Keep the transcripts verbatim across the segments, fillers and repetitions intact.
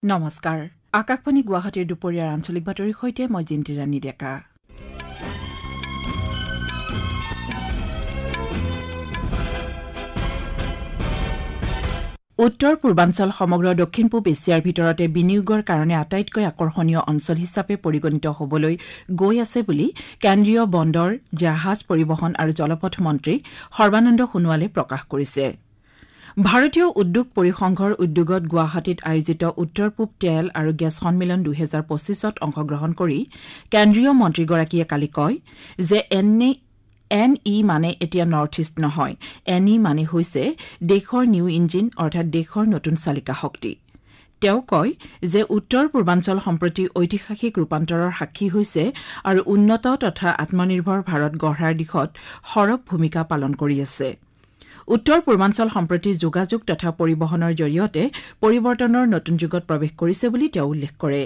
নমস্কাৰ, আকাশবাণী গুৱাহাটীৰ দুপৰীয়াৰ আঞ্চলিক বাতৰিৰ সৈতে মই জিন্তি ৰাণী ডেকা। উত্তৰ পূৰ্বাঞ্চল সমগ্ৰ দক্ষিণ পূব এছিয়াৰ ভিতৰতে বিনিয়োগৰ কাৰণে আটাইতকৈ আকৰ্ষণীয় অঞ্চল হিচাপে পৰিগণিত হ'বলৈ গৈ আছে বুলি কেন্দ্ৰীয় বন্দৰ, জাহাজ পৰিবহণ আৰু জলপথ মন্ত্ৰী সৰ্বানন্দ সোণোৱালে প্ৰকাশ কৰিছে। ভাৰতীয় উদ্যোগ পৰিসংঘৰ উদ্যোগত গুৱাহাটীত আয়োজিত উত্তৰ পূব তেল আৰু গেছ সন্মিলন দুহেজাৰ পঁচিছত অংশগ্ৰহণ কৰি কেন্দ্ৰীয় মন্ত্ৰীগৰাকীয়ে কালি কয় যে এন ই মানে এতিয়া নৰ্থ ইষ্ট নহয়, এন ই মানে হৈছে দেশৰ নিউ ইঞ্জিন, অৰ্থাৎ দেশৰ নতুন চালিকা শক্তি। তেওঁ কয় যে উত্তৰ পূৰ্বাঞ্চল সম্প্ৰতি ঐতিহাসিক ৰূপান্তৰৰ সাক্ষী হৈছে আৰু উন্নত তথা আত্মনিৰ্ভৰ ভাৰত গঢ়াৰ দিশত সৰব ভূমিকা পালন কৰি আছে। উত্তৰ পূৰ্বাঞ্চল সম্প্ৰতি যোগাযোগ তথা পৰিবহণৰ জৰিয়তে পৰিৱৰ্তনৰ নতুন যুগত প্ৰৱেশ কৰিছে বুলি তেওঁ উল্লেখ কৰে।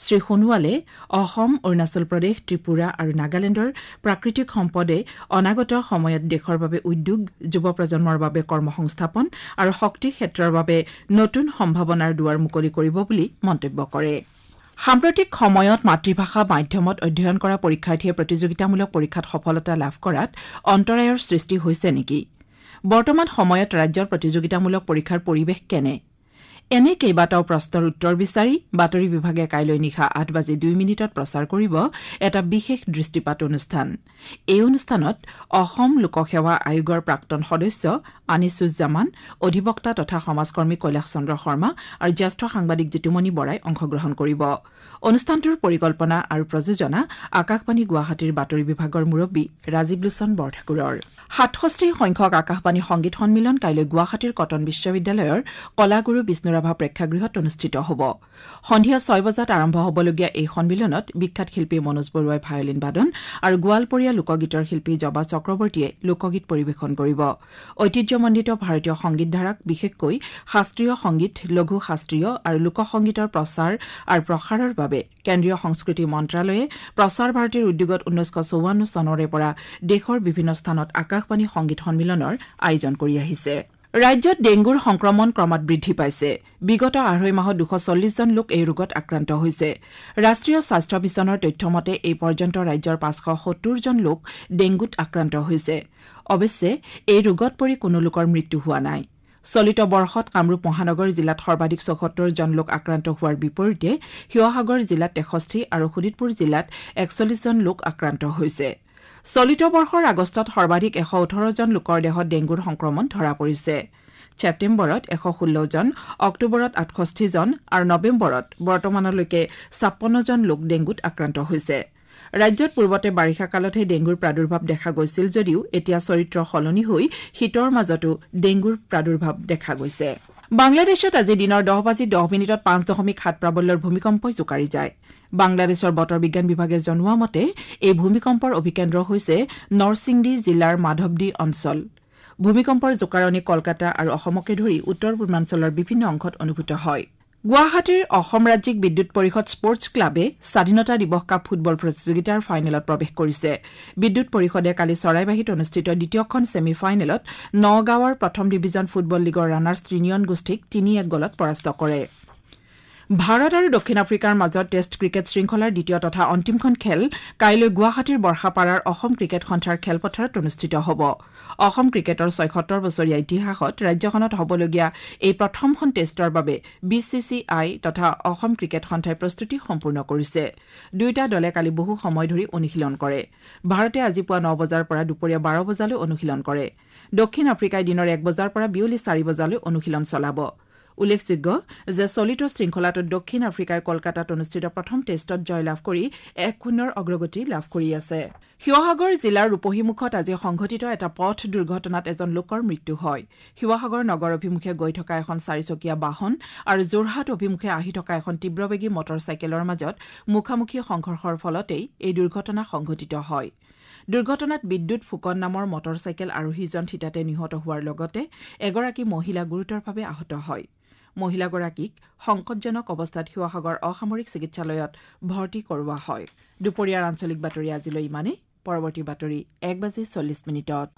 শ্ৰী সোণোৱালে অসম, অৰুণাচল প্ৰদেশ, ত্ৰিপুৰা আৰু নাগালেণ্ডৰ প্ৰাকৃতিক সম্পদে অনাগত সময়ত দেশৰ বাবে উদ্যোগ, যুৱ প্ৰজন্মৰ বাবে কৰ্মসংস্থাপন আৰু শক্তি ক্ষেত্ৰৰ বাবে নতুন সম্ভাৱনাৰ দুৱাৰ মুকলি কৰিব বুলি মন্তব্য কৰে। সাম্প্ৰতিক সময়ত মাতৃভাষা মাধ্যমত অধ্যয়ন কৰা পৰীক্ষাৰ্থীয়ে প্ৰতিযোগিতামূলক পৰীক্ষাত সফলতা লাভ কৰাত অন্তৰায়ৰ সৃষ্টি হৈছে নেকি? বৰ্তমান সময়ত ৰাজ্যৰ প্ৰতিযোগিতামূলক পৰীক্ষাৰ পৰিৱেশ কেনে? এনে কেইবাটাও প্ৰশ্নৰ উত্তৰ বিচাৰি বাতৰি বিভাগে কাইলৈ নিশা আঠ বাজি দুই মিনিটত প্ৰচাৰ কৰিব এটা বিশেষ দৃষ্টিপাত অনুষ্ঠান। এই অনুষ্ঠানত অসম লোকসেৱা আয়োগৰ প্ৰাক্তন সদস্য আনিছুজ্জামান, অধিবক্তা তথা সমাজকৰ্মী কৈলাশ চন্দ্ৰ শৰ্মা আৰু জ্যেষ্ঠ সাংবাদিক জিতুমণি বৰাই অংশগ্ৰহণ কৰিব। অনুষ্ঠানটোৰ পৰিকল্পনা আৰু প্ৰযোজনা আকাশবাণী গুৱাহাটীৰ বাতৰি বিভাগৰ মুৰব্বী ৰাজীৱ লোচন বৰঠাকুৰৰ। সাতষষ্ঠি সংখ্যক আকাশবাণী সংগীত সন্মিলন কাইলৈ গুৱাহাটীৰ কটন বিশ্ববিদ্যালয়ৰ কলাগুৰু বিষ্ণুৰাভা প্ৰেক্ষাগৃহত অনুষ্ঠিত হ'ব। সন্ধিয়া ছয় বজাত আৰম্ভ হ'বলগীয়া এই সন্মিলনত বিখ্যাত শিল্পী মনোজ বৰুৱাই ভায়লিন বাদন আৰু গোৱালপৰীয়া লোকগীতৰ শিল্পী জবা চক্ৰৱৰ্তীয়ে লোকগীত পৰিৱেশন কৰিব। ঐতিহ্যমণ্ডিত ভাৰতীয় সংগীতধাৰাক বিশেষকৈ শাস্ত্ৰীয় সংগীত, লঘু শাস্ত্ৰীয় আৰু লোকসংগীতৰ প্ৰচাৰ আৰু প্ৰসাৰৰ বাবে কেন্দ্ৰীয় সংস্কৃতি মন্ত্ৰালয়ে প্ৰচাৰ ভাৰতীৰ উদ্যোগত ঊনৈছশ চৌৱান্ন চনৰে পৰা দেশৰ বিভিন্ন স্থানত আকাশবাণী সংগীত সন্মিলনৰ আয়োজন কৰি আহিছে। ৰাজ্যত ডেংগুৰ সংক্ৰমণ ক্ৰমাৎ বৃদ্ধি পাইছে। বিগত আঢ়ৈ মাহত দুশ চল্লিছজন লোক এই ৰোগত আক্ৰান্ত হৈছে। ৰাষ্ট্ৰীয় স্বাস্থ্য মিছনৰ তথ্য মতে এই পৰ্যন্ত ৰাজ্যৰ পাঁচশ সত্তৰজন লোক ডেংগুত আক্ৰান্ত হৈছে। অৱশ্যে এই ৰোগত পৰি কোনো লোকৰ মৃত্যু হোৱা নাই। চলিত বৰ্ষত কামৰূপ মহানগৰ জিলাত সৰ্বাধিক চৌসত্তৰজন লোক আক্ৰান্ত হোৱাৰ বিপৰীতে শিৱসাগৰ জিলাত তেষষ্ঠি আৰু শোণিতপুৰ জিলাত একচল্লিছজন লোক আক্ৰান্ত হৈছে। চলিত বৰ্ষৰ আগষ্টত সৰ্বাধিক এশ ওঠৰজন লোকৰ দেহত ডেংগুৰ সংক্ৰমণ ধৰা পৰিছে। ছেপ্টেম্বৰত এশ ষোল্লজন, অক্টোবৰত আঠষষ্ঠিজন আৰু নৱেম্বৰত বৰ্তমানলৈকে ছাপন্নজন লোক ডেংগুত আক্ৰান্ত হৈছে। ৰাজ্যত পূৰ্বতে বাৰিষা কালতহে ডেংগুৰ প্ৰাদুৰ্ভাৱ দেখা গৈছিল যদিও এতিয়া চৰিত্ৰ সলনি হৈ শীতৰ মাজতো ডেংগুৰ প্ৰাদুৰ্ভাৱ দেখা গৈছে। বাংলাদেশত আজি দিনৰ দহ বাজি দহ মিনিটত পাঁচ দশমিক সাত প্ৰাবল্যৰ ভূমিকম্পই জোকাৰি যায়। বাংলাদেশৰ বতৰ বিজ্ঞান বিভাগে জনোৱা মতে এই ভূমিকম্পৰ অভিকেন্দ্ৰ হৈছে নৰসিংডী জিলাৰ মাধৱদী অঞ্চল। ভূমিকম্পৰ জোকাৰণি কলকাতা আৰু অসমকে ধৰি উত্তৰ পূৰ্বাঞ্চলৰ বিভিন্ন অংশত অনুভূত হয়। গুৱাহাটীৰ অসম ৰাজ্যিক বিদ্যুৎ পৰিষদ স্পৰ্টছ ক্লাবে স্বাধীনতা দিৱস কাপ ফুটবল প্ৰতিযোগিতাৰ ফাইনেলত প্ৰৱেশ কৰিছে। বিদ্যুৎ পৰিষদে কালি চৰাইবাহীত অনুষ্ঠিত দ্বিতীয়খন ছেমি ফাইনেলত নগাঁৱৰ প্ৰথম ডিভিজন ফুটবল লীগৰ ৰানাৰ্ছ ত্ৰিনিয়ন গোষ্ঠীক তিনি এক গ'লত পৰাস্ত কৰে। ভাৰত আৰু দক্ষিণ আফ্ৰিকাৰ মাজত টেষ্ট ক্ৰিকেট শৃংখলাৰ দ্বিতীয় তথা অন্তিমখন খেল কাইলৈ গুৱাহাটীৰ বৰ্ষাপাৰাৰ অসম ক্ৰিকেট সন্থাৰ খেলপথাৰত অনুষ্ঠিত হ'ব। অসম ক্ৰিকেটৰ ছয়সত্তৰ বছৰীয়া ইতিহাসত ৰাজ্যখনত হ'বলগীয়া এই প্ৰথমখন টেষ্টৰ বাবে বি চি চি I তথা অসম ক্ৰিকেট সন্থাই প্ৰস্তুতি সম্পূৰ্ণ কৰিছে। দুয়োটা দলে কালি বহু সময় ধৰি অনুশীলন কৰে। ভাৰতে আজি পুৱা ন বজাৰ পৰা দুপৰীয়া বাৰ বজালৈ অনুশীলন কৰে। দক্ষিণ আফ্ৰিকাই দিনৰ এক বজাৰ পৰা বিয়লি চাৰি বজালৈ অনুশীলন চলাব। উল্লেখযোগ্য যে চলিত শৃংখলাটোত দক্ষিণ আফ্ৰিকাই কলকাতাত অনুষ্ঠিত প্ৰথম টেষ্টত জয়লাভ কৰি এক শূন্যৰ অগ্ৰগতি লাভ কৰি আছে। শিৱসাগৰ জিলাৰ ৰূপহীমুখত আজি সংঘটিত এটা পথ দুৰ্ঘটনাত এজন লোকৰ মৃত্যু হয়। শিৱসাগৰ নগৰ অভিমুখে গৈ থকা এখন চাৰিচকীয়া বাহন আৰু যোৰহাট অভিমুখে আহি থকা এখন তীব্ৰবেগী মটৰ চাইকেলৰ মাজত মুখামুখি সংঘৰ্ষৰ ফলতেই এই দুৰ্ঘটনা সংঘটিত হয়। দুৰ্ঘটনাত বিদ্যুৎ ফুকন নামৰ মটৰ চাইকেল আৰোহীজন থিতাতে নিহত হোৱাৰ লগতে এগৰাকী মহিলা গুৰুতৰভাৱে আহত হয়। মহিলাগৰাকীক সংকটজনক অৱস্থাত শিৱসাগৰ অসামৰিক চিকিৎসালয়ত ভৰ্তি কৰোৱা হয়। দুপৰীয়াৰ আঞ্চলিক বাতৰি আজিলৈ ইমানেই। পৰৱৰ্তী বাতৰি এক বাজি চল্লিছ মিনিটত।